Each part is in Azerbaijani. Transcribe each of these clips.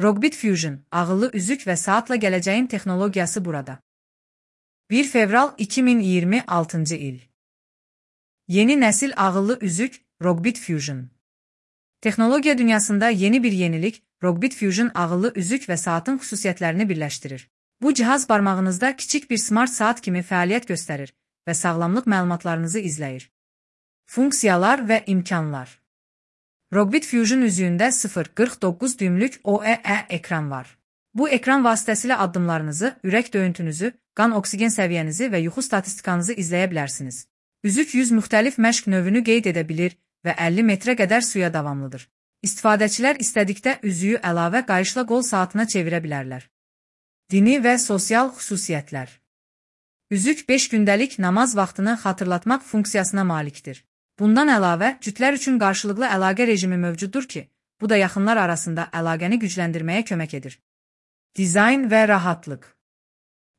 Rogbit Fusion, ağıllı üzük və saatla gələcəyin texnologiyası burada. 1 fevral 2026 il. Yeni nəsil ağıllı üzük, Rogbit Fusion. Texnologiya dünyasında yeni bir yenilik, Rogbit Fusion ağıllı üzük və saatın xüsusiyyətlərini birləşdirir. Bu cihaz barmağınızda kiçik bir smart saat kimi fəaliyyət göstərir və sağlamlıq məlumatlarınızı izləyir. Funksiyalar və imkanlar. Rogbit Fusion üzüyündə 0,49 düymlük OLED ekran var. Bu ekran vasitəsilə addımlarınızı, ürək döyüntünüzü, qan oksigen səviyyənizi və yuxu statistikanızı izləyə bilərsiniz. Üzük 100 müxtəlif məşq növünü qeyd edə bilir və 50 metrə qədər suya davamlıdır. İstifadəçilər istədikdə üzüyü əlavə qayışla qol saatına çevirə bilərlər. Dini və sosial xüsusiyyətlər. Üzük 5 gündəlik namaz vaxtını xatırlatmaq funksiyasına malikdir. Bundan əlavə, cütlər üçün qarşılıqlı əlaqə rejimi mövcuddur ki, bu da yaxınlar arasında əlaqəni gücləndirməyə kömək edir. Dizayn və rahatlıq.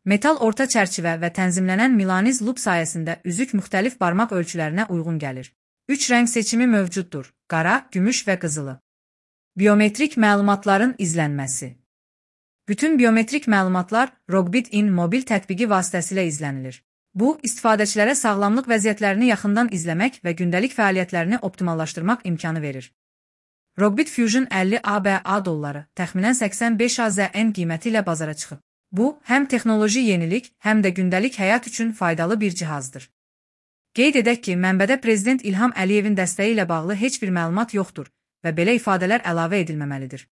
Metal orta çərçivə və tənzimlənən Milaniz loop sayəsində üzük müxtəlif barmaq ölçülərinə uyğun gəlir. 3 rəng seçimi mövcuddur: qara, gümüş və qızılı. Biometrik məlumatların izlənməsi. Bütün biometrik məlumatlar Rogbit In mobil tətbiqi vasitəsilə izlənilir. Bu, istifadəçilərə sağlamlıq vəziyyətlərini yaxından izləmək və gündəlik fəaliyyətlərini optimallaşdırmaq imkanı verir. Rogbit Fusion 50 ABA dolları, təxminən 85 AZN qiyməti ilə bazara çıxıb. Bu, həm texnoloji yenilik, həm də gündəlik həyat üçün faydalı bir cihazdır. Qeyd edək ki, mənbədə Prezident İlham Əliyevin dəstəyi ilə bağlı heç bir məlumat yoxdur və belə ifadələr əlavə edilməməlidir.